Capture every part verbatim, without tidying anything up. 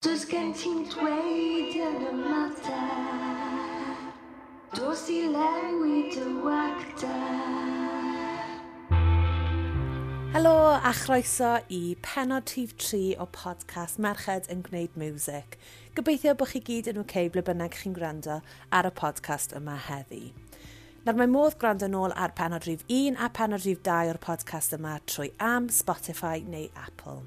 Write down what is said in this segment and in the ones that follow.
Does gen ti'm dweud yn y mater. Dos i lenwi dy wacter. Helo a chroeso i pennod rhif tri o podcast Merched yn Gwneud Music. Gobeithio bod chi gyd yn okay ble bynnag chi'n gwrando ar y podcast yma heddi. Nawr mae modd gwrando nôl ar pennod rhif un a pennod rhif dau o'r podcast yma trwy am Spotify neu Apple.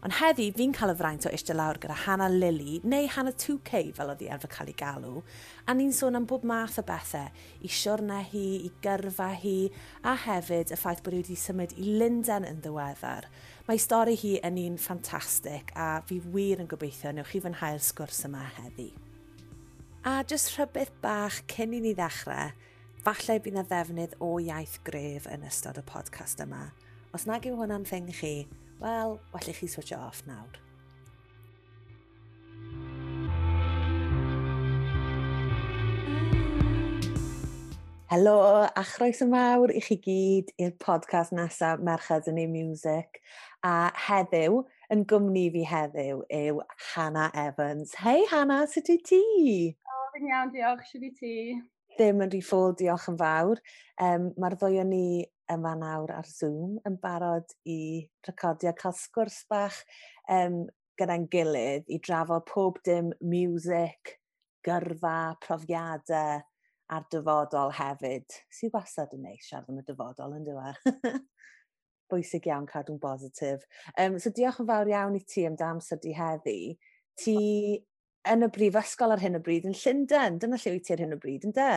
Ond heddi, fi'n cael y fraint o eistedd lawr gyda Hannah Lily, neu Hannah two K fel oedd hi arfer cael ei galw, a ni'n sôn am bob math o bethau, i siwrne hi, i gyrfa hi, a hefyd y ffaith bod hi wedi symud i Lundain yn ddiweddar. Mae stori hi yn un ffantastig, a fi wir yn gobeithio newch chi fwynhau'r sgwrs yma heddi. A jyst rhybudd bach cyn i ni ddechrau, falle bydd yna ddefnydd o iaith gref yn ystod y podcast yma. Os nag yw hwnna'n thing chi, wel, well i chi switch off nawr. Helo a chroeso mawr i chi gyd i'r podcast nesaf Merched yn ei Music. A heddiw, yn gwmni fi heddiw, yw Hannah Evans. Hei Hannah, sut wyt ti? O, fi'n iawn, diolch. Shwt wyt ti? Ddim yn rhy ffôl, diolch yn fawr. Um, Mae'r ddwy o ni yma nawr ar Zoom yn barod i recordio, cael sgwrs bach um, gyda'n gilydd i drafod pob dim music, gyrfa, profiadau a'r dyfodol hefyd. Sydd wastad yn neis siarad am y dyfodol, yn dyw? Bwysig iawn cadw'n bositif. Um, so diolch yn fawr iawn i ti am dy amser di heddi. Ti yn y brifysgol ar hyn o bryd yn Llundain. Dyna lle wyt ti ar hyn o bryd, yn de?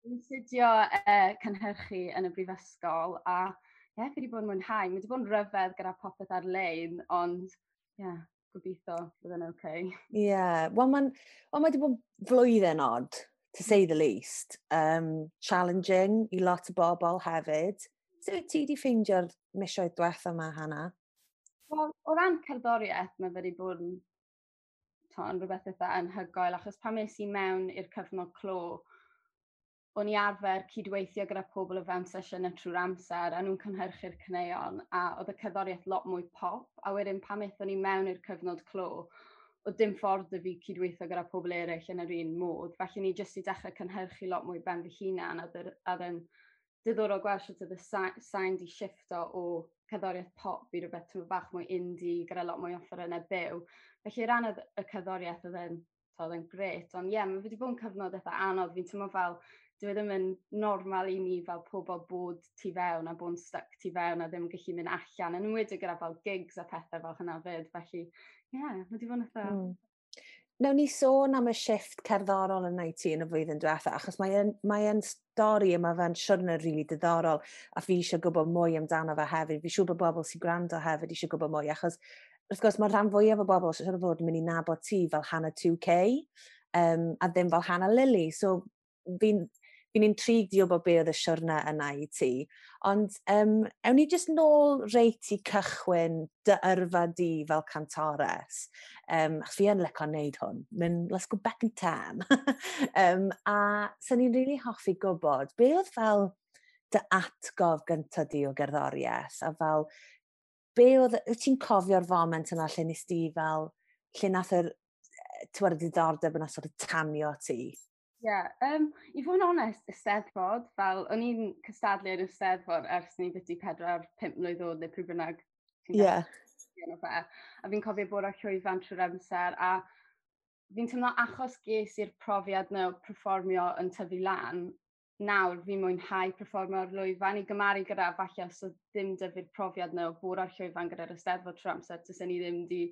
Fi'n astudio uh, cynhyrchu yn y brifysgol a ie, yeah, fi wedi bod yn mwynhau. Mae wedi bod yn rhyfedd gyda popeth ar-lein, ond ie, yeah, gobeithio bydd yn okay. Ie, yeah. Wel mae'n well, mae wedi bod flwyddyn od, to say the least. Um, challenging i lot o bobl hefyd. Sut wyt ti wedi ffeindio'r misoedd diwetha yma, Hannah? Wel, o ran cerddoriaeth, mae wedi bod yn, to, yn rhywbeth eitha anhygoel, achos pan es i mewn i'r cyfnod clo, o'n i arfer cydweithio gyda pobl o fewn sesiynau trwy'r amser, a nhw'n cynhyrchu'r caneuon, a oedd y cerddoriaeth lot mwy pop, a wedyn pan aethon ni mewn i'r cyfnod clo, oedd dim ffordd 'da fi cydweithio gyda pobl eraill yn yr un modd. Felly ni jyst i dechrau cynhyrchu lot mwy ben fy hunan, a oedd yn diddorol gweld sut oedd y sain di shifto o cerddoriaeth pop i rhywbeth tyma bach mwy indie, gyda lot mwy o offerynnau byw. Felly ran y cerddoriaeth oedd yn, oedd yn grêt, ond ie, yeah, mae wedi bod yn cyfnod eitha anodd. Fi'n teimlo fel dyw e ddim yn normal i ni fel pobl bod tu fewn a bod yn stuck tu fewn a ddim yn gallu mynd allan, yn enwedig gyda fel gigs a pethau fel hynna fyd. Felly, ie, yeah, mae wedi bod yn eitha. Mm. Nawn ni sôn am y shift cerddorol yn ti yn y flwyddyn diwetha, achos mae'n mae stori yma fe'n siwrne rili really diddorol, a fi eisiau gwybod mwy amdano fe hefyd. Fi siŵr bod bobl sy'n gwrando hefyd eisiau gwybod mwy, achos wrth gwrs mae rhan fwyaf o bobl sy'n fod yn mynd i nabod ti fel Hannah two K, um, a ddim fel Hannah Lily. So fi'n fi'n intrigued i wybod be oedd y siwrne yna i ti. Ond um, ewn ni jyst nôl reit i cychwyn dy yrfa di fel cantores. Um, achos fi yn licio wneud hwn. Mynd, let's go back in time. um, a sy'n ni'n really hoffi gwybod, be oedd fel dy atgof gyntaf di o gerddoriaeth? A fel, be oedd, wyt ti'n cofio'r foment yna lle nes di fel, lle nath yr, ti'n diddordeb yna sort of tanio ti? Ie, yeah, um, i fod yn onest, y Steddfod, fel, o'n i'n cystadlu yn y Steddfod ers ni byti pedwar, pump mlwydd oed neu pryd bynnag. Ie. Yeah. Fe. A fi'n cofio bod ar llwyfan trwy'r amser, a fi'n teimlo achos ges i'r profiad na o perfformio yn tyfu lan, nawr fi'n mwynhau perfformio ar lwyfan i gymaru gyda falle os oedd ddim 'da fi'r profiad na o bod ar llwyfan gyda'r Eisteddfod trwy'r amser, tysen ni ddim di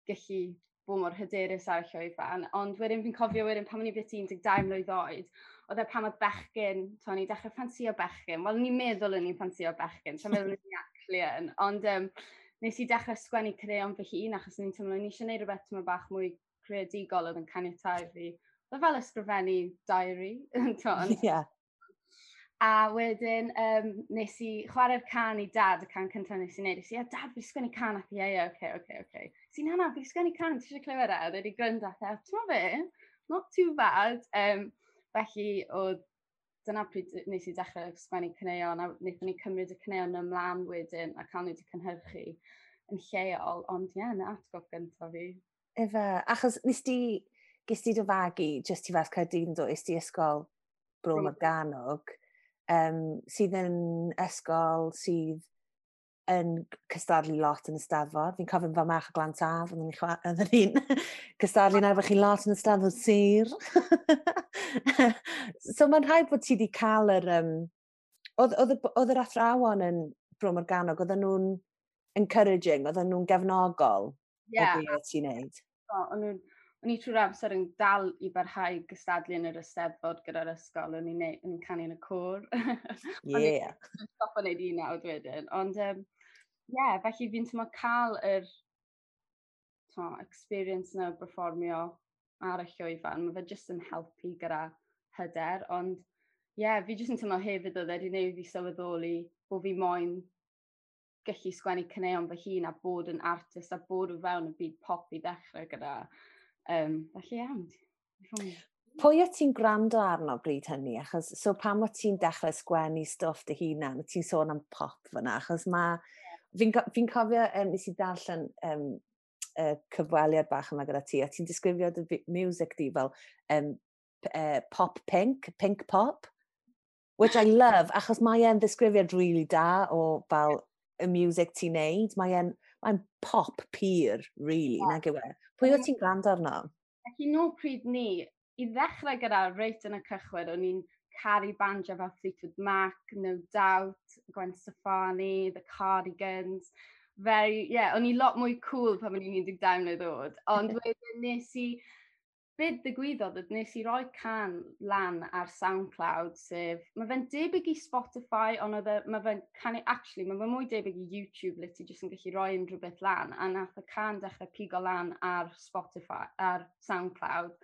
gallu bod mor hyderus ar y llwyfan. Ond wedyn fi'n cofio wedyn pan o'n i byti un deg dau mlwydd oed, oedd e pan oedd bechgyn, to, o'n i dechrau ffansio bechgyn. Wel, ni'n meddwl o'n i'n ffansio bechgyn, so meddwl o'n i'n actually yn. Ond um, nes i dechrau sgwennu caneuon fy hun, achos o'n i'n teimlo o'n i eisiau gwneud rhywbeth tyma bach mwy creadigol oedd yn caniatáu fi. Oedd fel ysgrifennu diary. Ie. Yeah. A wedyn um, nes i chwarae'r cân i Dad, y cân cyntaf nes i wneud. Nes i, "A Dad, fi sgwennu cân," a thi, "Ie, ie, oce, oce, oce." Si, "Na, na, fi sgwennu cân, ti eisiau clywed e?" Oedd wedi gwrando a thi, "Ti'n fe? Not too bad." Um, felly, oedd dyna pryd nes i dechrau sgwennu caneuon, a wnaethon ni cymryd y caneuon ymlaen wedyn a cael nhw wedi cynhyrchu yn lleol, ond ie, yeah, na atgof gyntaf fi. Ife, achos nes di, ges di dy fagu jyst tu fas Caerdydd yn do, es di ysgol Bro Morgannwg, um, sydd yn ysgol sydd yn cystadlu lot yn y Steddfod. Fi'n cofio fel merch o Glan Taf, oedden ni'n cystadlu yn efo chi lot yn y Steddfod sir. So mae'n rhaid bod ti wedi cael yr... Um, oedd, oedd, oedd yr athrawon yn Bro Morgannwg, oedden nhw'n encouraging, oedden nhw'n gefnogol yeah. o beth ti'n neud? O'n nhw'n o'n i trwy'r amser yn dal i barhau gystadlu yn yr Eisteddfod gyda'r ysgol, o'n i'n o'n i'n canu yn y côr. Yeah. O'n i'n stop o wneud un nawr wedyn. Ond, um, yeah, felly fi'n teimlo cael yr to, experience yna o berfformio ar y llwyfan, mae fe jyst yn helpu gyda hyder, ond ie, yeah, fi jyst yn teimlo hefyd oedd e wedi gwneud fi sylweddoli bod fi moyn gallu sgwennu caneuon fy hun a bod yn artist a bod o fewn y byd pop i ddechrau gyda. Um, felly iawn. Pwy o ti'n gwrando arno bryd hynny? Achos, so pam o ti'n dechrau sgwennu stwff dy hunan, ti'n sôn am pop fyna, achos mae... Fi'n fi cofio, um, nes i darllen um, y cyfweliad bach yma gyda ti, a ti'n disgrifio dy music di fel um, uh, pop pink, pink pop, which I love, achos mae e'n ddisgrifiad really da o fel y music ti'n neud. Mae e'n mae pop pur, really, yeah. Nag yw e? Pwy o ti'n gwrando arno? Felly nôl pryd ni, i ddechrau gyda reit yn y cychwyn, o'n i'n caru bandiau fel Fleetwood Mac, No Doubt, Gwen Stefani, The Cardigans. Very, yeah, o'n i lot mwy cool pan o'n i'n un deg dau mlynedd oed. Ond wedyn nes i, beth ddigwyddodd oedd nes i roi cân lan ar SoundCloud, sef, mae fe'n debyg i Spotify, ond oedd e, mae fe'n canu, actually, mae fe'n mwy debyg i YouTube, le ti jyst yn gallu rhoi unrhyw beth lan, a nath y cân dechrau pigo lan ar Spotify, ar SoundCloud.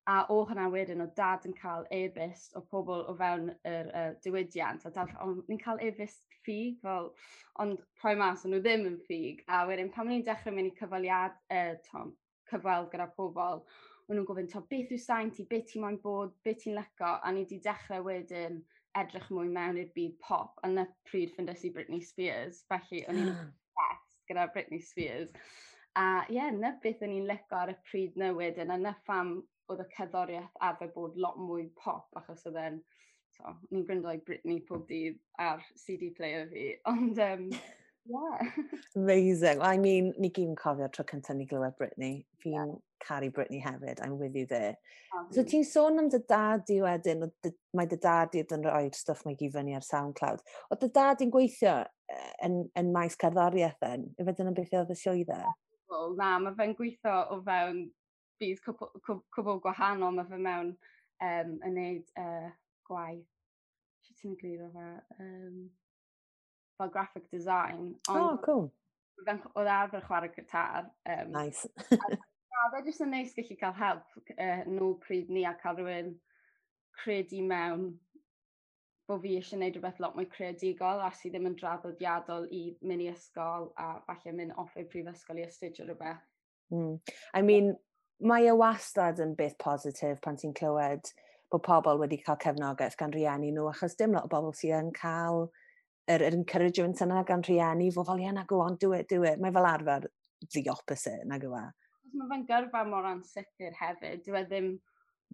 A o hwnna wedyn, o dad yn cael e-byst o pobl o fewn yr uh, diwydiant, a dad, o, ni'n cael e-byst ffug, fel, ond rhoi mas, o'n nhw ddim yn ffug. A wedyn, pan o'n i'n dechrau mynd i cyfweliad, uh, tom, cyfweld gyda pobl, o'n nhw'n gofyn, to, beth yw sain ti, beth ti'n moyn bod, beth ti'n lico, a ni wedi dechrau wedyn edrych mwy mewn i'r byd pop, a na pryd ffindes i Britney Spears, felly o'n i'n obsessed gyda Britney Spears. A ie, yeah, na beth o'n i'n lico ar y pryd na wedyn, a na pham oedd y cerddoriaeth arfer bod lot mwy pop, achos oedd e'n, so, o'n i'n gwrando i Britney pob dydd ar C D player fi, ond um, yeah. Amazing. I mean, ni gyd yn cofio tro cyntaf ni glywed Britney. Fi'n yeah. caru Britney hefyd. I'm with you there. Um, so ti'n sôn am dy dad di wedyn, dy, mae dy dad di yn rhoi'r stwff mae gyd fyny ar SoundCloud. Oedd dy dad di'n gweithio yn, yn maes cerddoriaeth then? Ife dyna beth oedd y swydd e? Wel, na, mae fe'n gweithio o fewn byd cwbl, cwbl gwahanol. Mae fe mewn um, yn neud uh, gwaith. Sut ti'n egluro fe? Um, fel graphic design. Ond oh, cool. Oedd arfer chwarae gitar. Um, nice. A, a fe jyst yn neis gallu cael help uh, nôl pryd ni a cael rhywun credu mewn bod fi eisiau gwneud rhywbeth lot mwy creadigol a sydd ddim yn draddodiadol i mynd i ysgol a falle mynd off i'r prifysgol i astudio rhywbeth. Mm. I mean, mae e wastad yn beth positif pan ti'n clywed bod pobl wedi cael cefnogaeth gan rieni nhw, achos dim lot o bobl sydd yn cael yr, yr encouragement yna gan rhieni, fod fel, "Yeah, na, go on, do it, do it." Mae fel arfer the opposite, nag yw e? Mae fe'n gyrfa mor ansicr hefyd. Dyw e ddim,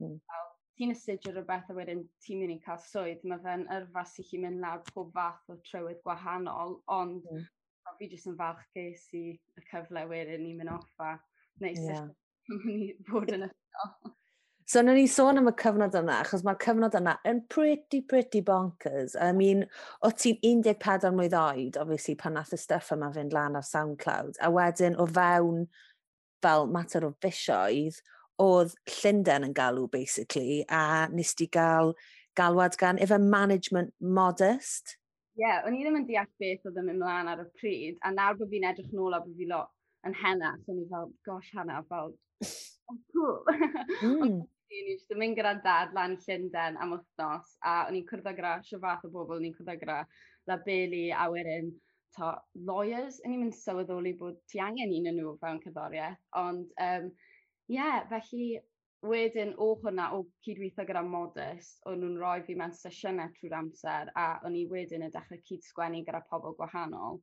mm. fel, ti'n astudio rhywbeth a wedyn ti'n mynd i cael swydd. Mae fe'n yrfa sy'n chi mynd lawr pob fath o trywydd gwahanol, ond mm. fi jyst yn falch ges i y cyfle wedyn i mynd off a neud yeah. i fod yn ysgol. So, nawn ni sôn am y cyfnod yna, achos mae'r cyfnod yna yn pretty, pretty bonkers. I mean, o ti'n un deg pedwar mlwydd oed, obviously, pan nath y stuff yma fynd lan ar SoundCloud, a wedyn o fewn fel mater o fisoedd, oedd Llundain yn galw, basically, a nes di gael galwad gan efe management Modest. Ie, yeah, o'n i ddim yn deall beth oedd yn mynd mlaen ar y pryd, a nawr bod fi'n edrych nôl a bod fi lot yn henach, o'n i fel, "Gosh, Hannah, fel, oh, cool." Mm. Ond o'n i jyst yn mynd gyda dad lan Llundain am wythnos, a o'n i'n cwrdd gyda shwd fath o bobl, o'n i'n cwrdd gyda labeli a wedyn to, lawyers, o'n i'n mynd sylweddoli bod ti angen un o'n nhw fewn cerddoriaeth, ond um, yeah, felly wedyn o hwnna, o cydweithio gyda Modest, o'n nhw'n rhoi fi mewn sesiynau trwy'r amser, a o'n i wedyn yn dechrau cyd-sgwennu gyda pobl gwahanol.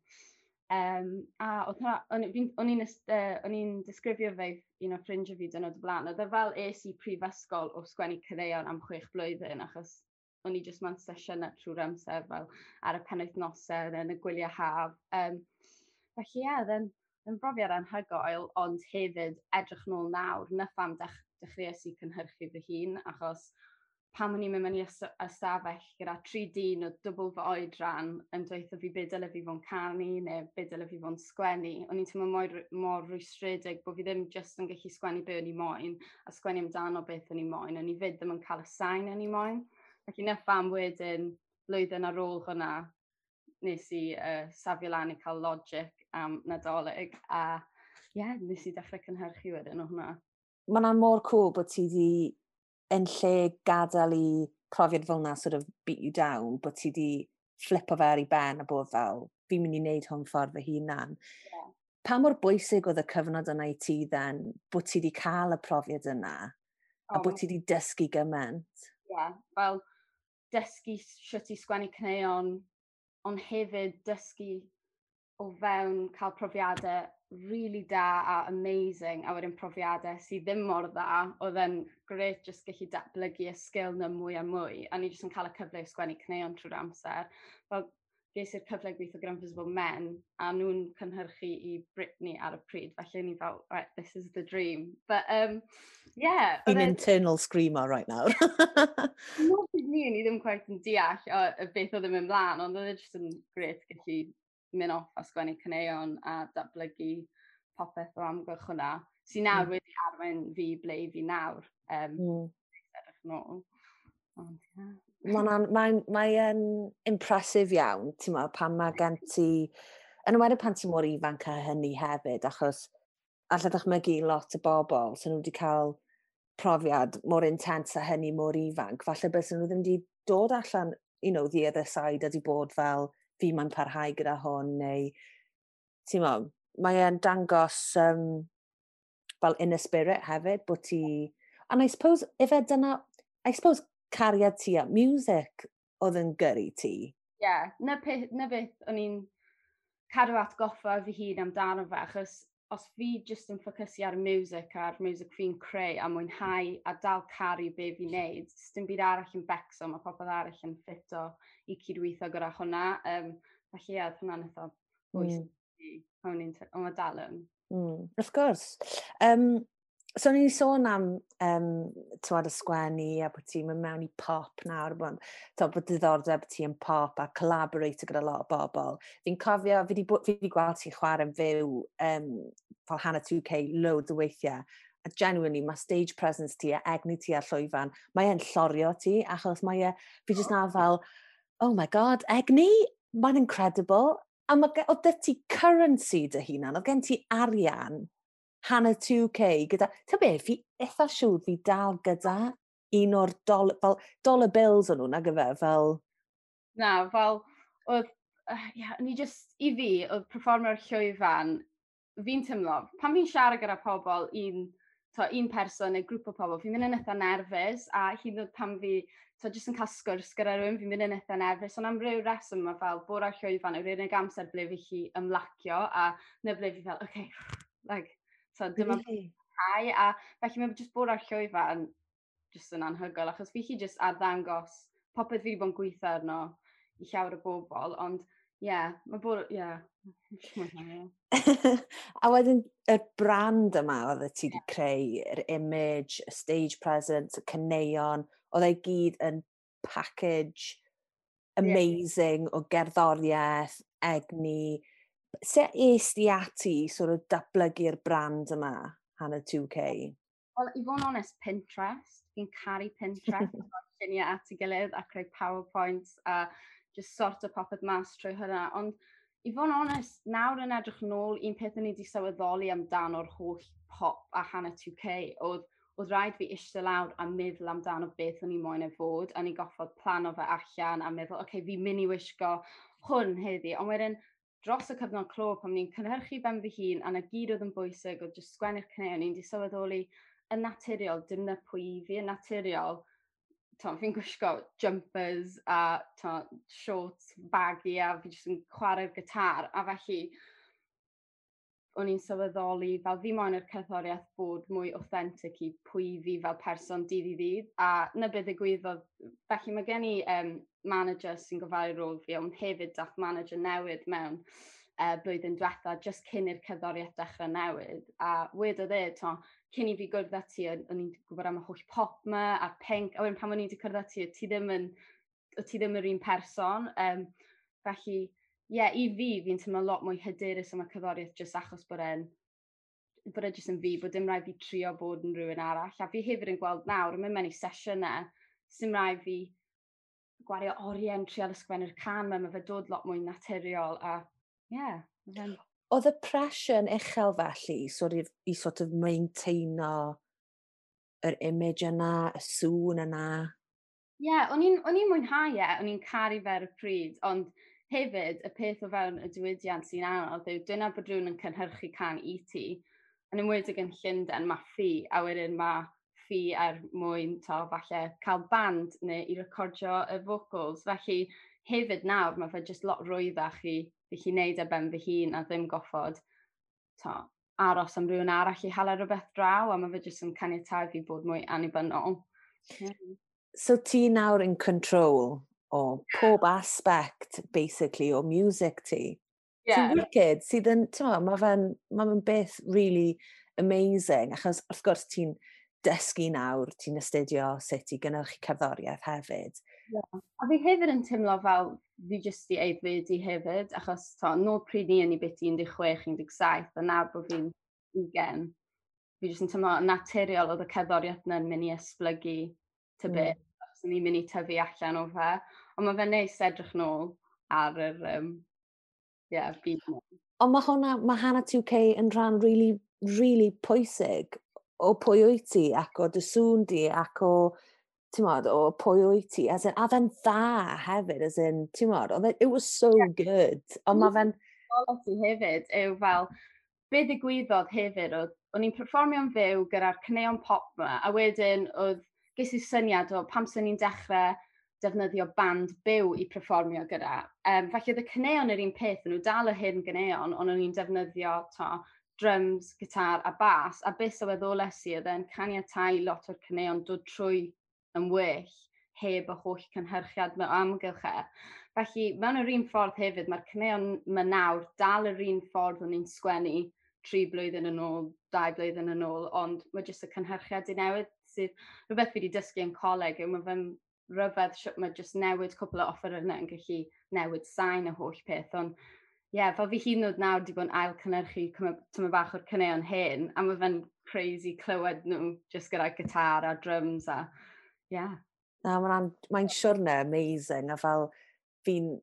Um, a oedd hwnna, o'n i'n uh, i'n disgrifio fe un o ffrindiau fi dyn o blaen. Oedd e fel es i prifysgol o sgwennu caneuon am chwech blwyddyn, achos o'n i jyst mewn sesiynau trwy'r amser fel ar y penwythnosau yn y gwyliau haf. Um, felly ie, yeah, then, yn brofiad anhygoel, ond hefyd edrych nôl nawr, na pham dech, dechreuais i cynhyrchu fy hun, achos pan o'n i'n mynd mewn i ystafell gyda tri dyn o dwbl fy oedran yn dweud fi be dyle fi fo'n canu neu be dyle fi fo'n sgwennu, o'n i'n teimlo mor, mor rwystredig bod fi ddim jyst yn gallu sgwennu be o'n i moyn a sgwennu amdano beth o'n i moyn, o'n i fyd ddim yn cael y sain o'n i moyn. Felly na pham wedyn, blwyddyn ar ôl hwnna, nes i uh, safio lan i cael Logic am Nadolig a ie, yeah, nes i dechrau cynhyrchu wedyn o hwnna. Mae'n mor cool bod ti di yn lle gadael i profiad fel na sort of beat you down, bod ti di flipo fe ar ei ben a bod fel, fi'n mynd i wneud hwn ffordd fy hunan. Yeah. Pa mor bwysig oedd y cyfnod yna i ti then, bod ti di cael y profiad yna, oh, a bod ti di dysgu gymaint? Ie, yeah, fel dysgu sut i sgwennu caneuon, ond hefyd dysgu o fewn cael profiadau really da a amazing, a wedyn profiadau sydd ddim mor dda, oedd e'n grêt jyst gallu datblygu y sgil na mwy a mwy, a ni jyst yn cael y cyfle i sgwennu caneuon trwy'r amser. Fel, ges i'r cyfle gweithio gyda Invisible Men, a nhw'n cynhyrchu i Britney ar y pryd, felly ni fel, right, this is the dream. But, um, yeah. Fi'n internal screamer right now. Not ni, ni ddim quite yn deall o, y beth oedd yn mynd mlaen, ond oedd e jyst yn grêt gallu mynd off a sgwennu caneuon a datblygu popeth o amgylch hwnna, sy'n nawr mm. wedi arwain fi ble i fi nawr. Um, mm. Edrych nôl. Ond, yeah. Mae'n mae, mae impressive iawn, ti'n meddwl, pan mae gen ti... Yn enwedig pan ti mor ifanc â hynny hefyd, achos allai ddychmygu lot o bobl sy'n nhw wedi cael profiad mor intense a hynny mor ifanc, falle bys nhw ddim wedi dod allan, you know, the other side a di bod fel fi mae'n parhau gyda hwn, neu, ti'n mo, mae e'n dangos um, fel inner spirit hefyd, bod ti... And I suppose, if e dyna, I suppose cariad ti at music oedd yn gyrru ti. Ie, yeah, na, pe, na beth o'n i'n cadw atgoffa fy hun amdano fe, achos os fi jyst yn ffocysu ar music a'r music fi'n creu a mwynhau a dal caru be fi'n neud, dim byd arall yn becso, mae popeth arall yn ffito i cydweithio gyda hwnna. Um, felly ie, oedd hwnna'n eitha bwysig. Mm. Ond mae dal yn. Mm, of course. Um, so ni'n sôn am um, tywed, y sgwennu a bod ti'n mynd mewn i pop nawr, bod, to, bod diddordeb ti yn pop a collaborate gyda lot o bobl. Fi'n cofio, fi wedi fi di gweld ti'n chwarae'n fyw um, fel Hannah two K loads o weithiau, a genuinely mae stage presence ti a egni ti ar llwyfan, mae e'n llorio ti, achos mae e, fi jyst na fel, oh my god, egni, mae'n incredible. A mae, oedd dy ti currency dy hunan, oedd gen ti arian, Hannah two K, gyda, ti'n be, fi eitha siŵr fi dal gyda un o'r dol, fel dollar bills o'n nhw, nag yfe, fel... Na, fel, oedd, uh, yeah, ni just, i fi, oedd perfformio'r llwyfan, fi'n teimlo, pan fi'n siarad gyda pobl, un, to, un person neu grŵp o pobl, fi'n mynd yn eitha nerfus, a hyd yn oed pan fi, to, jyst yn cael sgwrs gyda rhywun, fi'n mynd yn eitha nerfus, ond am ryw reswm mae fel bod ar llwyfan yw'r unig amser ble fi chi ymlacio, a na ble fi fel, okay, like, so dyma really? Hau, a felly mae jyst bod ar llwyfan jyst yn anhygoel, achos fi chi jyst arddangos popeth fi wedi bod yn gweithio arno i llawer o bobl, ond ie, yeah, mae bod, ie. Yeah. A wedyn y brand yma oedd ti wedi creu, yr image, y stage presence, y caneuon, oedd e gyd yn package amazing yeah. o gerddoriaeth, egni. Sut es di ati sort of datblygu'r brand yma, Hannah two K? Wel, i fod yn onest, Pinterest. Fi'n caru Pinterest. Lluniau at ei gilydd a creu PowerPoints a just sort o popeth mas trwy hynna. Ond i fod yn onest, nawr yn edrych nôl, un peth o'n i wedi sylweddoli amdano'r holl pop a Hannah two K oedd, oedd rhaid fi eistedd lawr a meddwl amdano beth o'n i moyn e fod, a ni goffod plano fe allan a meddwl, oce, okay, fi'n mynd i wisgo hwn heddi. Ond wedyn, dros y cyfnod clo, pan ni'n cynhyrchu ben fy hun, a na gyd oedd yn bwysig, oedd jyst sgwennu'r caneuon, ni'n di sylweddoli yn naturiol, dim na pwy i fi, yn naturiol, fi'n gwisgo jumpers a to, shorts baggy a fi jyst yn chwarae'r gitar, a felly o'n i'n sylweddoli fel fi moyn i'r cerddoriaeth bod mwy authentic i pwy fi fel person dydd i ddydd. A 'na beth ddigwyddodd. Felly mae gen i um, manager sy'n gofalu rôl fi, ond hefyd dath manager newydd mewn uh, blwyddyn diwetha, just cyn i'r cerddoriaeth dechrau newid. A wedodd e, to, cyn i fi gwrdd â ti, o'n i'n gwybod am y holl pop 'ma a'r punk, a wedyn pan o'n i wedi cwrdd â ti, ti ddim yn, ti ddim yr un person. Um, felly, ie, yeah, i fi, fi'n teimlo lot mwy hyderus am y cerddoriaeth jyst achos bod e'n bod e jyst yn fi, bod dim rhaid fi trio bod yn rhywun arall. A fi hefyd yn gweld nawr, yn mynd mewn i sesiynau, sy'n rhaid fi gwario oriau yn trial ysgrifennu'r cân 'ma, mae fe dod lot mwy naturiol a ie. Yeah. Oedd y pressure yn uchel felly sort of, i sort of maintaino yr image yna, y sŵn yna? Ie, yeah, o'n i'n mwynhau e, o'n i'n caru fe ar y pryd, ond hefyd, y peth o fewn y diwydiant sy'n anodd yw dyna bod rhywun yn cynhyrchu cân i ti, yn enwedig yn Llundain, mae ffi, a wedyn mae ffi er mwyn to, falle cael band neu i recordio y vocals. Felly hefyd nawr, mae fe jyst lot rwyddach i fi chi wneud ar ben fy hun a ddim goffod to, aros am rhywun arall i hala rhywbeth draw, a mae fe jyst yn caniatáu fi bod mwy annibynnol. Yeah. So ti nawr in control o pob aspect, basically, o music ti. Yeah. Sy'n wicked, sydd yn, ti'n mae fe'n ma fe beth really amazing, achos wrth gwrs ti'n dysgu nawr, ti'n astudio sut i gynnyrchu cerddoriaeth hefyd. Yeah. A fi hefyd yn teimlo fel fi jyst i aeddfedu hefyd, achos to, nôl pryd ni yn i beth un deg chwech, un deg saith, a nawr bod fi'n ugain, fi jyst yn teimlo naturiol oedd y cerddoriaeth yna'n mynd i esblygu ty mm. beth, achos o'n i'n mynd i tyfu allan o fe. Ond mae fe'n neis edrych nôl ar yr um, yeah, byd. Ond mae hwnna, mae Hannah two K yn rhan really, really pwysig o pwy wyt ti ac o dy sŵn di ac o, ti'n modd, o pwy wyt ti. As in, a fe'n dda hefyd, as in, ti'n modd, oedd e, it was so yeah. good. Ond mae fe'n Quality hefyd yw fel, be ddigwyddodd hefyd oedd, o'n i'n perfformio'n fyw gyda'r caneuon pop 'ma, a wedyn oedd, ges i syniad o pam sy'n ni'n dechrau defnyddio band byw i perfformio gyda. Um, felly oedd y caneuon yr un peth, nhw dal y hyn ganeuon, ond o'n i'n defnyddio to, drums, gitar a bas, a beth sylweddoles i oedd e'n caniatáu lot o'r caneuon dod trwy yn well heb y holl cynhyrchiad mewn amgylch e. Felly, mewn yr un ffordd hefyd, mae'r caneuon yma nawr dal yr un ffordd o'n i'n sgwennu tri blwyddyn yn ôl, dau blwyddyn yn ôl, ond mae jyst y cynhyrchiad i newid sydd rhywbeth fi wedi dysgu yn coleg yw mae fe'n rhyfedd sut mae jyst newid cwpl o offerynnau yn gallu newid sain y holl peth, ond ie, yeah, fel fi hyd yn oed nawr wedi bod yn ail cynhyrchu tyma bach o'r caneuon hyn, a mae fe'n crazy clywed nhw just gyda gitar a drums a, yeah. Na, mae'n mae siwrne amazing, a fel fi'n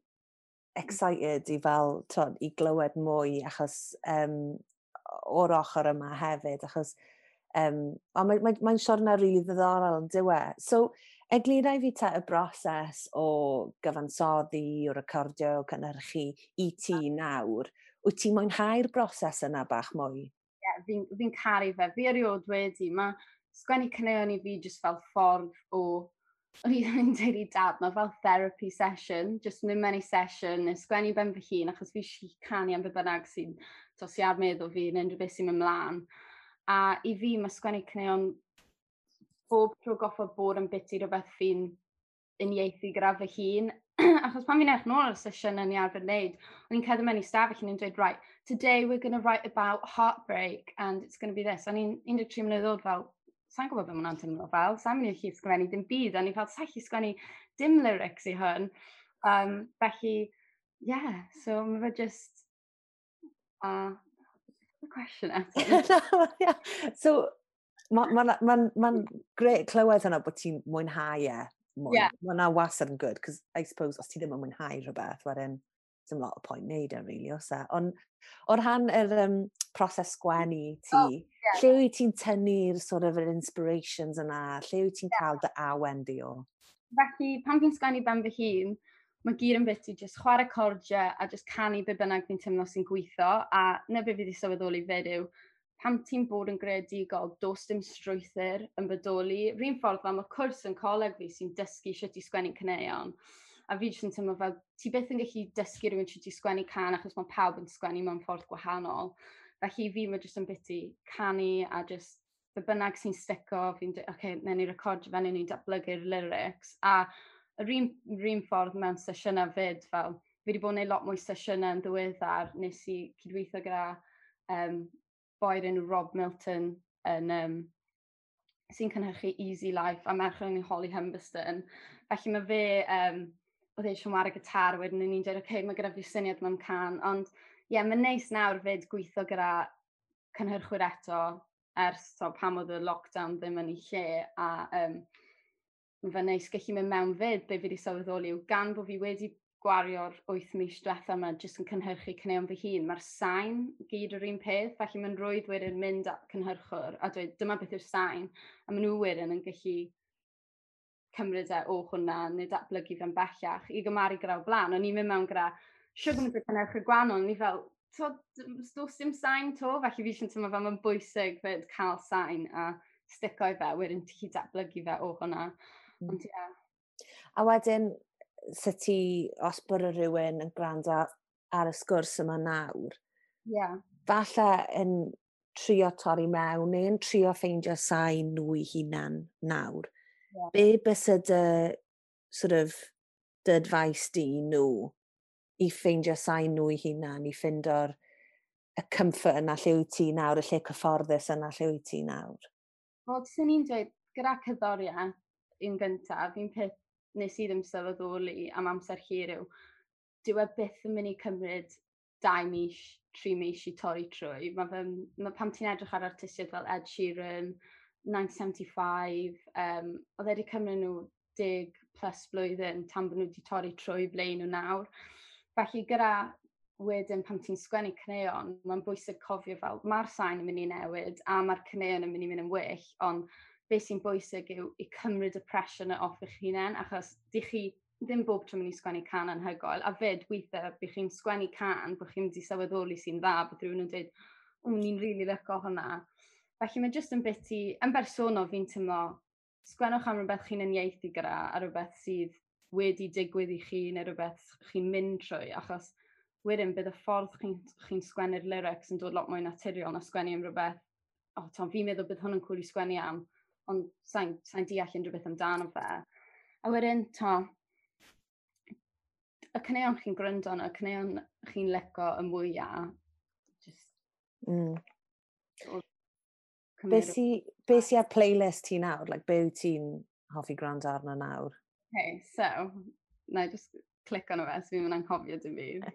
excited i fel, t'od, i glywed mwy achos um, o'r ochr yma hefyd, achos um, mae'n mae, mae siwrne rili really ddiddorol yn dyw e. So, eglura i fi te y broses o gyfansoddi, o recordio, o cynhyrchu i ti nawr. Wyt ti'n mwynhau'r broses yna bach mwy? Ie, yeah, fi'n fi caru fe. Fi erioed wedi. Mae sgwennu caneuon i fi jyst fel ffordd o, o'n i'n dweud i dad, mae fel therapy session, just mynd mewn i session, neu sgwennu ben fy hun, achos fi eisiau canu am be bynnag sy'n tosi ar meddwl fi, neu unrhyw beth sy'n mynd mlaen. A i fi, mae sgwennu caneuon bob tro goffod bod yn biti rhywbeth fi'n uniaethu gyda fy hun. Achos pan fi'n edrych nôl ar y sesiwn yn i arfer wneud, o'n i'n cerdded mewn i stafell yn dweud, "Right, today we're going to write about heartbreak and it's going to be this." O'n i'n un deg tri mlynedd oed fel, sa'n gwybod beth mae hwnna'n teimlo fel, sa'n mynd i allu sgwennu dim byd, a ni fel, sa'n gallu sgwennu dim lyrics i hwn. Um, felly, yeah, so mae fe just, uh, the question eto. Yeah. So, mae'n ma, ma, ma grêt clywed hwnna bod ti'n mwynhau e mwy. Yeah. Mae hwnna wastad yn good, cos I suppose os ti ddim yn mwynhau rhywbeth, wedyn dim lot o point wneud e, really, oes e? Ond o rhan yr um, proses sgwennu ti, oh, yeah. lle wyt ti'n tynnu'r sort of yr inspirations yna? Lle wyt ti'n yeah. cael dy awen di o? Felly, pan fi'n sgwennu ben fy hun, mae gyd yn bit i just chwarae cordiau a just canu be bynnag fi'n teimlo sy'n gweithio. A na be fi wedi sylweddoli fyd yw, pan ti'n bod yn greadigol, does dim strwythur yn bodoli. Rhywun ffordd fel mae cwrs yn coleg fi sy'n dysgu sut i sgwennu caneuon. A fi jyst yn teimlo fel, ti byth yn gallu dysgu rhywun sut i sgwennu cân achos mae pawb yn sgwennu mewn ffordd gwahanol. Felly fi mae jyst yn biti canu a jyst be bynnag sy'n stico, fi'n dweud, oce, okay, newn ni recordio fe, newn ni datblygu'r lyrics. A yr un, yr un ffordd mewn sesiynau fyd, fel, fi wedi bod yn gwneud lot mwy sesiynau yn ddiweddar, nes i cydweithio gyda um, boi'r enw Rob Milton yn, um, sy'n cynhyrchu Easy Life a merch yn Holly Humberston. Felly mae fe, um, oedd e eisiau chwarae gitar, wedyn ni'n dweud, oce, okay, mae gyda fi syniad mewn can, ond ie, yeah, mae'n neis nawr fyd gweithio gyda cynhyrchwyr eto ers so, pam oedd y lockdown ddim yn ei lle, a um, mae fe'n neis gallu mynd mewn fyd, be fi wedi sylweddoli yw gan bod fi wedi gwario'r wyth mis diwetha yma jyst yn cynhyrchu caneuon fy hun, mae'r sain gyd yr un peth, felly mae'n rwydd wedyn mynd at cynhyrchwr a dweud dyma beth yw'r sain, a maen nhw wedyn yn gallu cymryd e o hwnna neu datblygu fe'n bellach i gymaru gyda o blaen. O'n i'n mynd mewn gyda siwgr mynd cynhyrchwyr gwahanol, o'n i fel, does dim sain to, felly fi eisiau teimlo fel mae'n bwysig fyd cael sain a stico i fe, wedyn ti'n datblygu fe o hwnna. Mm. Ond ie. Yeah. A wedyn, sut ti, os bod rhywun yn gwrando ar y sgwrs yma nawr, yeah. falle yn trio torri mewn neu yn trio ffeindio sain nhw i hunan nawr. Yeah. Be bysa dy, sort of, dy advice di nhw i ffeindio sain nhw i hunan, i ffeindio'r y comfort yna lle wyt ti nawr, y lle cyfforddus yna lle wyt ti nawr? Wel, sy'n ni'n dweud, gyda cerddoriaeth un gyntaf, un peth nes i ddim sylweddoli am amser hir yw, dyw e byth yn mynd i cymryd dau mis, tri mis i torri trwy. Mae fe, mae pam ti'n edrych ar artistiaid fel Ed Sheeran, nineteen seventy-five, um, oedd e wedi cymryd nhw deg plus blwyddyn tan bod nhw wedi torri trwy ble nhw nawr. Felly gyda wedyn pan ti'n sgwennu caneuon, mae'n bwysig cofio fel mae'r sain yn mynd i newid a mae'r caneuon yn mynd i mynd yn well, ond beth sy'n bwysig yw i cymryd y pressure yna off eich hunain, achos di chi ddim bob tro mynd i sgwennu can anhygoel, a fyd weithiau bych chi'n sgwennu can, bod chi'n mynd i sylweddoli sy'n dda, bod rhywun yn dweud, o, ni'n rili really licio hwnna. Felly mae jyst yn bit i, yn bersonol fi'n teimlo, sgwennwch am rhywbeth chi'n uniaethu gyda, a rhywbeth sydd wedi digwydd i chi, neu rhywbeth chi'n mynd trwy, achos wedyn bydd y ffordd chi'n chi sgwennu'r lyrics yn dod lot mwy naturiol na sgwennu am rhywbeth, o, oh, tom, fi'n meddwl bydd hwn yn cool i sgwennu am, ond sa'n sa deall unrhyw beth amdano fe. A wedyn, to, y caneuon chi'n gryndo arno, y caneuon chi'n lico y mwyaf, just... Mm. Be sy, be sy ar playlist ti nawr? Like, be wyt ti'n hoffi gwrando arno nawr? Okay, so, na i just click arno fe, so fi'n mynd anghofio dim byd.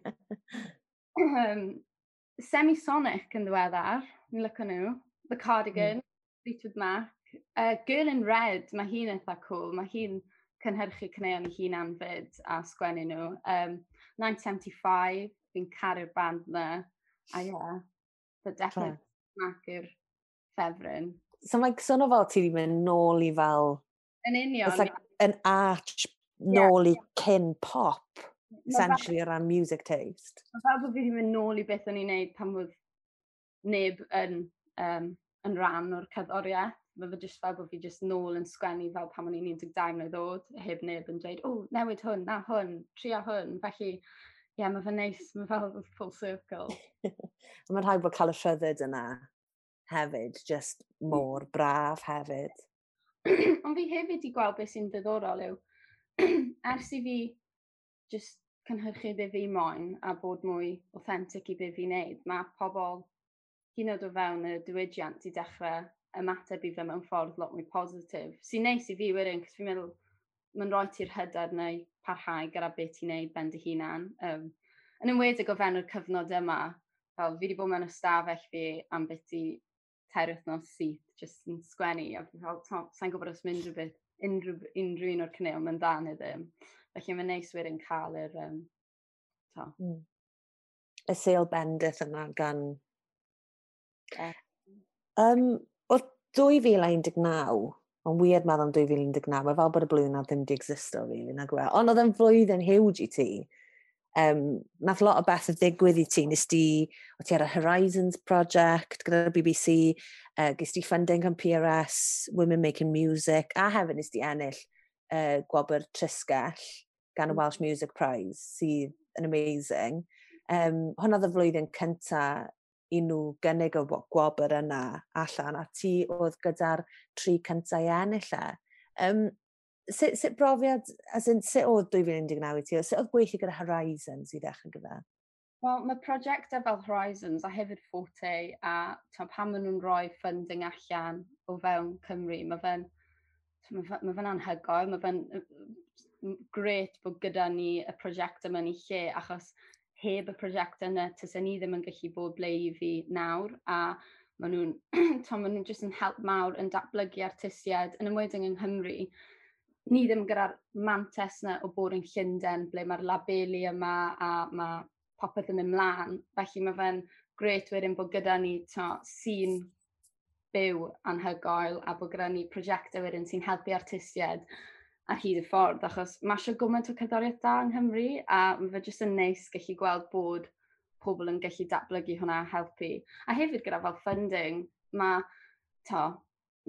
um, Semisonic yn ddiweddar, ni'n licio nhw. The Cardigan, mm. Fleetwood Mac. Uh, Girl in Red, mae hi'n eitha cool. Mae hi'n cynhyrchu caneuon ei hunan fyd a sgwennu nhw. Um, nineteen seventy-five, fi'n caru'r band na. A ie, yeah, but definitely Mac yw'r ffefryn. So mae'n swnio fel ti wedi mynd nôl i fel... Yn union. It's like an arch nôl yeah. i cyn pop, essentially, o ran music taste. Mae fel bod fi wedi mynd nôl i beth o'n i'n neud pan oedd neb yn, um, yn rhan o'r cerddoriaeth. Mae fe jyst fel bod fi jyst nôl yn sgwennu fel pan o'n i'n un deg dau mlynedd oed, heb neb yn dweud, o, oh, newid hwn, na hwn, trio hwn. Felly, ie, yeah, mae fe'n neis, mae fel full circle. Mae'n rhaid bod cael y rhyddid yna hefyd, just mor braf hefyd. Ond fi hefyd i gweld beth sy'n ddiddorol yw, ers i fi just cynhyrchu be fi moyn a bod mwy authentic i be fi'n neud, mae pobl hyd yn oed o fewn y diwydiant i dechrau ymateb i fe mewn ffordd lot mwy positif. Sy'n neis i fi wedyn, cos fi'n meddwl mae'n rhoi ti'r hyder neu parhau gyda beth ti'n neud ben dy hunan. Um, yn enwedig o fewn yr cyfnod yma, fel fi wedi bod mewn ystafell fi am beth i tair wythnos syth, jyst yn sgwennu, a fi fel, sa'n gwybod os mynd rhywbeth, unrhyw, unrhyw un o'r caneuon mae'n dda neu ddim. Felly mae'n neis wedyn cael yr... Um, to. Mm. Y sêl bendith yna gan... Yeah. Um, Oedd dwy fil a un deg naw, mae'n weird meddwl am dwy fil un deg naw, mae fel bod y blwyddyn na ddim di existo, really, nag yw e. Ond oedd e'n flwyddyn huge i ti. Um, nath lot o bethau ddigwydd i ti. Nes di, o ti ar y Horizons Project gyda'r B B C, uh, ges di funding gan P R S, Women Making Music, a hefyd nes di ennill uh, gwobr Trisgell gan y Welsh Music Prize, sydd yn amazing. Um, hwnna oedd y flwyddyn cynta I nhw gynnig y gwobr yna allan, a ti oedd gyda'r tri cyntaf i ennill e. Um, sut, sut brofiad, as in, sut oedd dwy fil un deg naw i ti? Sut oedd gweithio gyda Horizons i ddechrau gyda? Wel, mae prosiectau fel Horizons a hefyd Forte a ta, pan maen nhw'n rhoi funding allan o fewn Cymru, mae fe'n mae fe, fe'n anhygoel, mae fe'n grêt bod gyda ni y prosiect yma yn ei lle, achos heb y prosiect yna, tysen ni ddim yn gallu bod ble i fi nawr, a maen nhw'n maen nhw'n jyst yn help mawr yn datblygu artistiaid, yn enwedig yng Nghymru. Ni ddim gyda'r mantes yna o bod yn Llundain, ble mae'r labeli yma a mae popeth yn mynd mlaen. Felly mae fe'n grêt wedyn bod gyda ni sîn byw anhygoel a bod gyda ni prosiectau wedyn sy'n helpu artistiaid ar hyd y ffordd, achos mae eisiau gymaint o cerddoriaeth da yng Nghymru a mae fe jyst yn neis gallu gweld bod pobl yn gallu datblygu hwnna a helpu. A hefyd gyda fel funding, mae, to,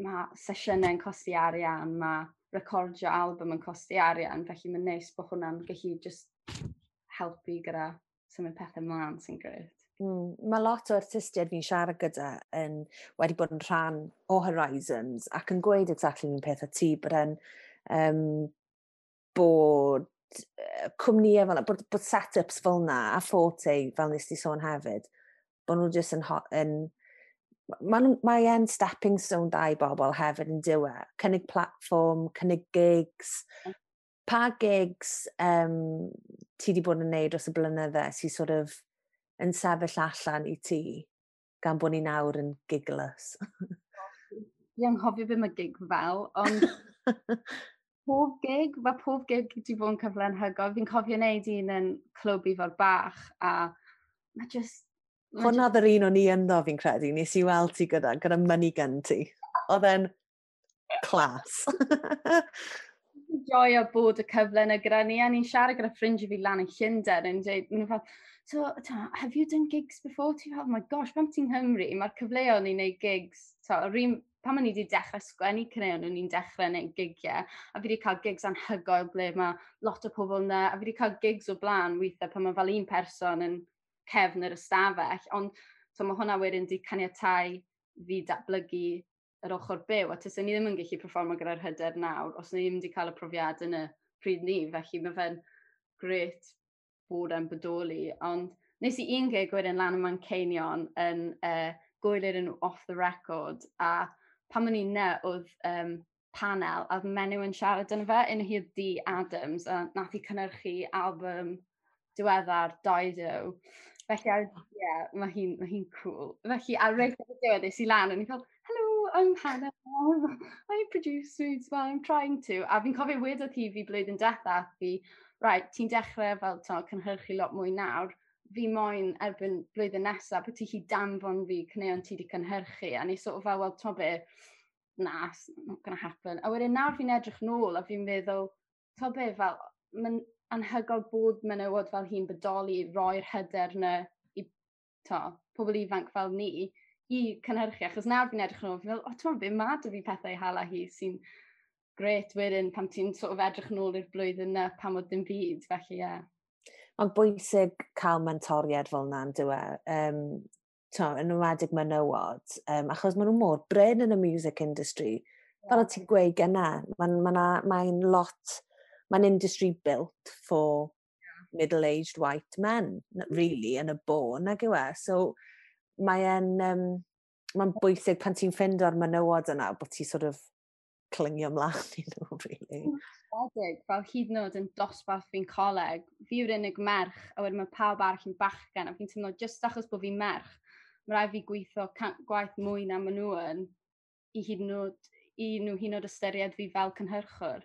mae sesiynau yn costi arian, mae recordio album yn costi arian, felly mae'n neis bod hwnna'n gallu just helpu gyda symud pethau mlaen, sy'n grêt. Mm, mae lot o artistiaid fi'n siarad gyda yn, wedi bod yn rhan o Horizons ac yn gweud exactly un peth a ti, bod yn um, bod cwmnïau fel bod, bod set-ups fel na a Forte, fel nes ti sôn hefyd, bod nhw jyst yn, yn mae mae e'n stepping stone da i bobl hefyd yn dyw e. Cynnig platform, cynnig gigs. Pa gigs um, ti wedi bod yn neud dros y blynydde sy'n sort of yn sefyll allan i ti, gan bod ni nawr yn gigless? Fi anghofio beth mae gig fel, ond pob gig, mae pob gig wedi bod yn cyfle anhygoel. Fi'n cofio wneud un yn Clwb Ifor Bach, a mae just. Hwna oedd yr un o'n i ynddo, fi'n credu. Nes i weld ti gyda, gyda money gun ti. Oedd e'n class. Joio bod y cyfle yna gyda ni, a ni'n siarad gyda ffrindiau fi lan yn Llundain, yn dweud, maen nhw fel, "So, ta, have you done gigs before?" Ti fel, "Oh my gosh, pan ti'n Nghymru, mae'r cyfleoedd i wneud gigs." Ta, yr un, pan o'n i wedi dechrau sgwennu caneuon, o'n i'n dechrau wneud gigiau, a fi wedi cael gigs anhygoel ble mae lot o pobl yna, a fi wedi cael gigs o blaen weithiau pan mae fel un person yn cefn yr ystafell, ond so mae hwnna wedyn wedi caniatau fi datblygu yr ochr byw, a tyswn ni ddim yn gallu performo gyda'r hyder nawr, os ni ddim wedi cael y profiad yn y pryd ni, felly mae fe'n grêt bod e'n bodoli, ond nes i un gig wedyn lan ym Manceinion yn uh, gwyl yn Off The Record, a pan o'n i'n ne, oedd um, panel, a oedd menyw yn siarad yn fe, un hi oedd Dee Adams, a nath hi cynhyrchu album diweddar Dido. Felly, ie, yeah, mae hi'n ma hi cool. Felly, ar reit ar y diwedd, es i lan, a ni'n fel, "Hello, I'm Hannah, I produce as well, I'm trying to." A fi'n cofio wedodd hi fi blwyddyn diwetha, fi, "Right, ti'n dechrau fel to, cynhyrchu lot mwy nawr, fi moyn erbyn blwyddyn nesaf bod ti chi danfon fi caneuon ti wedi cynhyrchu." A ni sort of fel, "Wel, to be, na, it's not gonna happen." A wedyn nawr fi'n edrych nôl a fi'n meddwl, to be, fel, mae'n anhygoel bod menywod fel hi'n bodoli, roi'r hyder na i to, pobl ifanc fel ni i cynhyrchu, achos nawr fi'n edrych nôl, fi'n meddwl, "O, ti'n be, ma 'da fi pethau i hala hi," sy'n grêt wedyn pan ti'n sort of edrych nôl i'r blwyddyn na pan oedd dim byd, felly ie. Yeah. Mae'n bwysig cael mentoriad fel yna, yn dyw e? Um, to, yn enwedig menywod, um, achos maen nhw mor brin yn y music industry. Yeah. Fel o ti'n gweud gyna, mae'n ma ma lot, mae'n industry built for yeah. middle-aged white men, really, yn y bôn, nag yw e? So, mae'n um, mae'n bwysig pan ti'n ffindo'r menywod yna, bod ti sort of clingio ymlaen i nhw, really. Edig, fel hyd yn oed yn dosbarth fi'n coleg, fi yw'r unig merch, a wedyn mae pawb arall yn bachgen, a fi'n teimlo just achos bod fi'n merch, mae rhaid fi gweithio gwaith mwy na maen nhw yn, i hyd yn oed, i nhw hyd yn oed ystyried fi fel cynhyrchwr.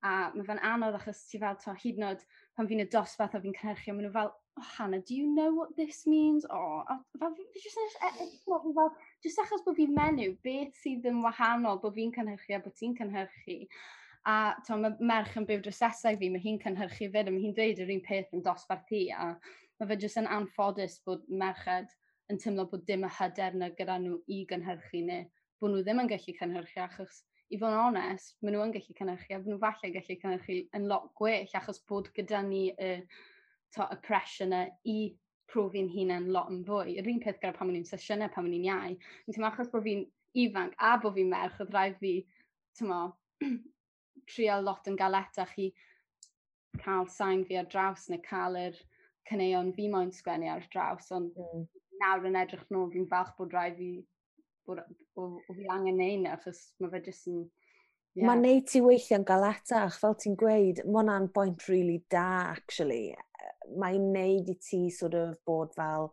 A mae fe'n anodd achos ti fel, to, hyd yn oed pan fi'n y dosbarth a fi'n cynhyrchu, maen nhw fel, "Oh, Hannah, do you know what this means?" Oh, a fel, fi just, e, e, fel, just achos bod fi'n menyw, beth sydd yn wahanol bod fi'n cynhyrchu a bod ti'n cynhyrchu? A to, mae merch yn byw drws nesaf fi, mae hi'n cynhyrchu fyd, a mae hi'n dweud yr un peth yn dosbarth hi, a mae fe jyst yn anffodus bod merched yn teimlo bod dim y hyder na gyda nhw i gynhyrchu neu bod nhw ddim yn gallu cynhyrchu, achos i fod yn onest, maen nhw yn gallu cynhyrchu a maen nhw falle gallu cynhyrchu yn lot gwell achos bod gyda ni y, to, y pressure yna i profi'n hunain lot yn fwy. Yr un peth gyda pan o'n i'n sesiynau, pan o'n i'n iau. Fi'n teimlo achos bod fi'n ifanc a bod fi'n merch, oedd rhaid fi, tymo, trio lot yn galetach i cael sain fi ar draws neu cael yr caneuon fi moyn sgwennu ar draws, ond mm. nawr yn edrych nôl, fi'n falch bod rhaid fi, bod, o, o fi angen neud 'na, achos mae fe jyst yn. Yeah. Mae'n neud ti weithio'n galetach, fel ti'n gweud, mae hwnna'n bwynt really da, actually. Mae'n neud i ti sort of bod fel,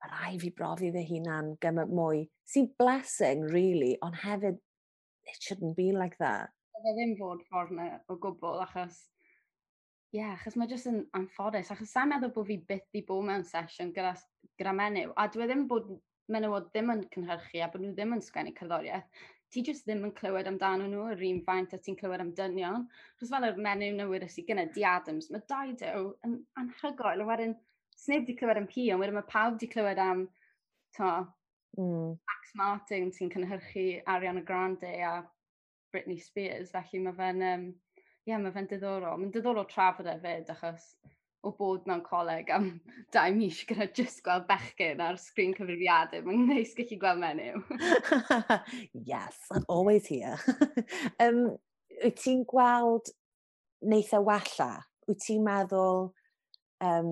mae rhaid fi brofi fy hunan gymaint mwy. Sy'n blessing, really, ond hefyd, it shouldn't be like that. Fe ddim fod ffordd yna o gwbl, achos ie, yeah, achos mae jyst yn anffodus, achos sa'n meddwl bod fi byth di bod mewn sesiwn gyda, gyda menyw, a dwi ddim bod menywod ddim yn cynhyrchu a bod nhw ddim yn sgwennu cerddoriaeth, ti jyst ddim yn clywed amdano nhw yr un faint a ti'n clywed am dynion. Chos fel yr menyw newydd sydd gyda Di Adams, mae Dido yn anhygoel, a wedyn sneb di clywed am hi, ond wedyn mae pawb di clywed am to, mm. Max Martin sy'n cynhyrchu Ariana Grande a Britney Spears, felly mae fe'n um, yeah, mae fe'n diddorol. Mae'n diddorol trafod e fyd, achos o bod mewn coleg am dau mis gyda just gweld bechgyn ar sgrin cyfrifiadur. Mae'n neis gallu gweld menyw. Yes, I'm always here. um, wyt ti'n gweld neith e wella? Wyt ti'n meddwl um,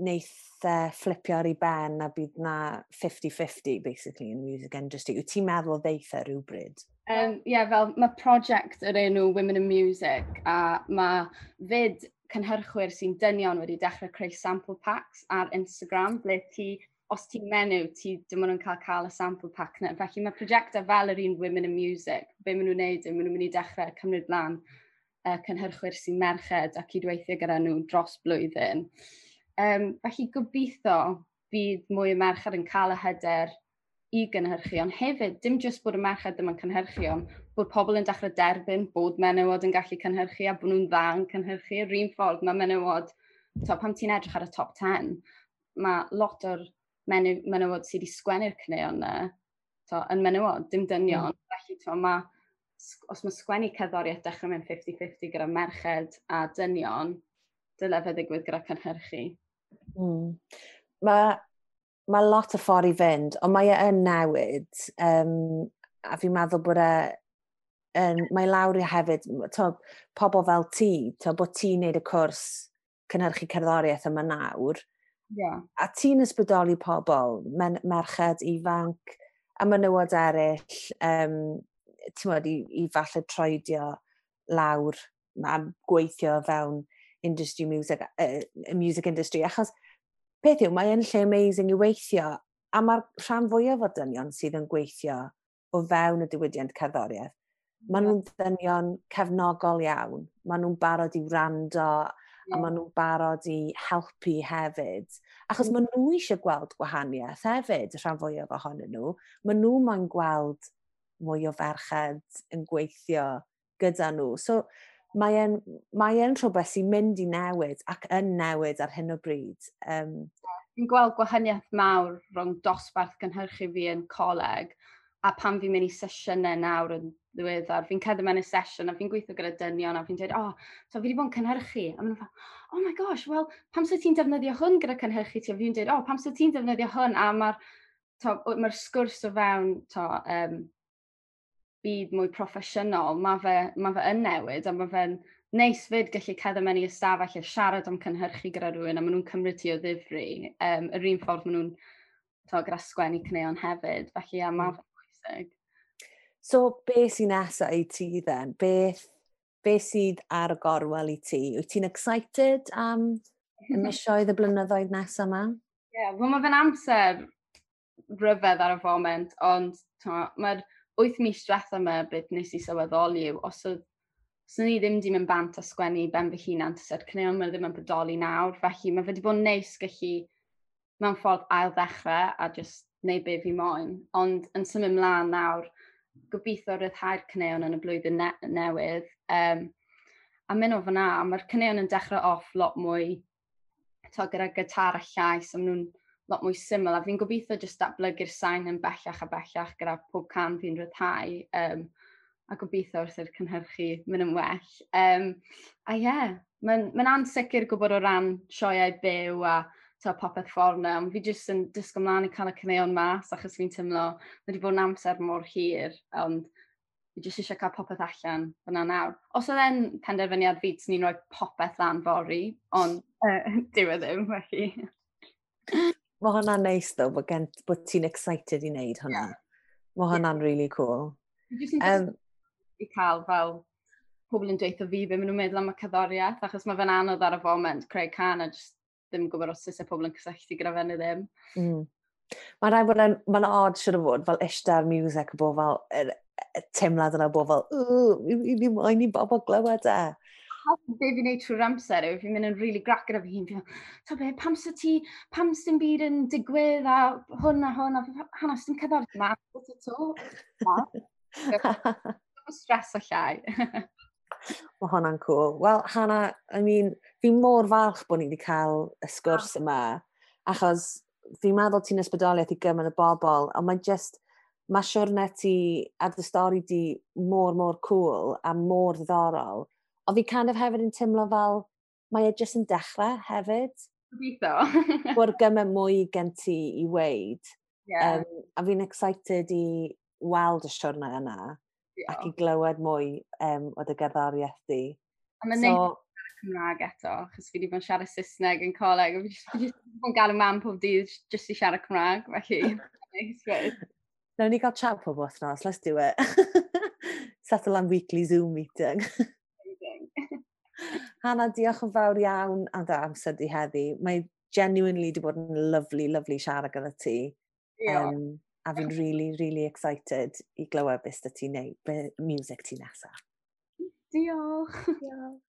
neith e fflipio ar ei ben a bydd na fifty fifty basically in the music industry? Wyt ti'n meddwl ddeith e rhywbryd? Um, yeah, fel mae prosiect yr enw Women in Music a mae fyd cynhyrchwyr sy'n dynion wedi dechrau creu sample packs ar Instagram, ble ti, os ti'n menyw, ti dim ond yn cael cael y sample pack na. Felly mae prosiectau fel yr un Women in Music, be maen nhw'n neud yw maen nhw'n mynd i dechrau cymryd lan uh, cynhyrchwyr sy'n merched a cydweithio gyda nhw dros blwyddyn. Um, felly gobeithio bydd mwy o merched yn cael y hyder i gynhyrchu, ond hefyd, dim jyst bod y merched ddim yn cynhyrchu, ond bod pobl yn dechrau derbyn bod menywod yn gallu cynhyrchu a bod nhw'n dda yn cynhyrchu. Yr un ffordd mae menywod, to, pan ti'n edrych ar y top ten, mae lot o'r menyw, menywod sydd wedi sgwennu'r caneuon yna to, yn menywod, dim dynion. Mm. Felly, to, ma, os mae sgwennu cerddoriaeth dechrau mewn fifty fifty gyda merched a dynion, dyle fe ddigwydd gyda cynhyrchu. Mm. Mae mae lot o ffordd i fynd, ond mae e yn newid. Um, a fi'n meddwl bod e, yn, mae lawr i hefyd, to, pobl fel ti, to, bod ti'n neud y cwrs cynhyrchu cerddoriaeth yma nawr. Yeah. A ti'n ysbrydoli pobl, men, merched ifanc, a menywod eraill, um, ti'n modd, i, i falle troedio lawr a gweithio fewn industry music, uh, music industry, achos peth yw, mae yn lle amazing i weithio, a mae'r rhan fwyaf o dynion sydd yn gweithio o fewn y diwydiant cerddoriaeth, maen nhw'n ddynion cefnogol iawn. Maen nhw'n barod i wrando, a maen nhw'n barod i helpu hefyd. Achos mm. maen nhw eisiau gweld gwahaniaeth hefyd, y rhan fwyaf ohonyn nhw. Maen nhw moyn gweld mwy o ferched yn gweithio gyda nhw. So mae e'n, mae e'n rhywbeth sy'n mynd i newid ac yn newid ar hyn o bryd. Um, Fi'n gweld gwahaniaeth mawr rhwng dosbarth gynhyrchu fi yn coleg a pan fi'n mynd i sesiynau nawr yn ddiweddar, fi'n cerdded mewn i sesiwn a fi'n gweithio gyda dynion a fi'n dweud, "Oh, so fi wedi bod yn cynhyrchu." A maen nhw'n fel, "Oh my gosh, well, pam sy'n ti'n defnyddio hwn gyda cynhyrchu ti?" A fi'n dweud, "Oh, pam sy'n ti'n defnyddio hwn?" A mae'r mae sgwrs o fewn to, um, byd mwy proffesiynol, mae fe, ma fe yn newid a mae fe'n neis fyd gallu cerdded mewn i ystafell a siarad am cynhyrchu gyda rhywun a maen nhw'n cymryd ti o ddifri. Um, yr un ffordd maen nhw'n to, gyda sgwennu caneuon hefyd. Felly, ia, mae mm. fe'n bwysig. So, beth sy'n nesaf i ti then? Beth, beth sydd ar y gorwel i ti? Wyt ti'n excited am y misoedd, y blynyddoedd nesaf yma? Ie, yeah, wel mae fe'n amser rhyfedd ar y foment, ond mae'r wyth mis diwetha yma beth nes i sylweddoli yw, os oedd os ni ddim di mynd bant a sgwennu ben fy hunan, tase'r caneuon yma ddim yn bodoli nawr, felly mae fe wedi bod yn neis gallu mewn ffordd ail ddechrau a just neud be fi moyn. Ond yn symud mlaen nawr, gobeithio ryddhau'r caneuon yn y blwyddyn ne newydd. Um, a mynd o fyna, mae'r caneuon yn dechrau off lot mwy to, gyda gitar a llais, a maen nhw'n lot mwy syml, a fi'n gobeithio jyst datblygu'r sain yn bellach a bellach gyda pob cân fi'n rhyddhau, um, a gobeithio wrth i'r cynhyrchu mynd yn well. Um, a ie, yeah, mae'n ma ansicr gwybod o ran sioeau byw a to, popeth ffordd na, ond fi jyst yn disgo mlaen i cael y caneuon mas, achos fi'n teimlo, mae wedi bod yn amser mor hir, ond fi jyst eisiau cael popeth allan fyna nawr. Os oedd e'n penderfyniad fi, swn i'n rhoi popeth lan fory, ond uh, dyw e ddim, felly. Mae hwnna'n neis ddo, bod, gen, bod ti'n excited i wneud hwnna. Yeah. Mae hwnna'n yeah. really cool. Fi jyst yn um, i cael fel pobl yn dweud fi be maen nhw'n meddwl am y cerddoriaeth, achos mae fe'n anodd ar y foment creu cân a jyst ddim yn gwybod os oes e pobl yn cysylltu gyda fe neu ddim. Mm. Mae'n rhaid bod yn, mae'n odd siwr o fod, fel eistedd music, bod fel, y, y teimlad yna bod fel, ww, i ni moyn i bobl glywed e. Be fi'n neud trwy'r amser yw, fi'n mynd yn really grac gyda fi hun, fi'n fel, be, pam sy ti, pam sy'n byd yn digwydd a hwn a hwn, a Hannah, sy'n cerddoriaeth ma, to. Stress o llai. Mae hwnna'n cool. Wel, Hannah, I mean, fi mor falch bod ni wedi cael y sgwrs yma, achos fi'n meddwl ti'n ysbrydoliaeth i gymaint o bobl, ond mae just, mae siwrne ti a dy stori di mor, mor cool a mor ddiddorol. Ond fi kind of hefyd yn teimlo fel, mae e jyst yn dechrau hefyd. Gobeithio. Bod gymaint mwy gen ti i weud. Yeah. Um, a fi'n excited i weld y siwrne yna yeah. ac i glywed mwy um, o dy gerddoriaeth di. A mae'n so, neis siarad Cymraeg eto, achos fi wedi bod yn siarad Saesneg yn coleg, a fi jyst, fi jyst wedi bod yn galw mam pob dydd jyst i siarad Cymraeg, felly. Neis fyd. Nawn ni gael chat pob wythnos, let's do it. Settle am weekly Zoom meeting. Amazing. Hannah, diolch yn fawr iawn am dy amser di heddi. Mae genuinely wedi bod yn lovely, lovely siarad gyda ti. Diolch. Um, a fi'n really, really excited i glywed beth sy ti'n neud, be music ti nesaf. Diolch. Diolch.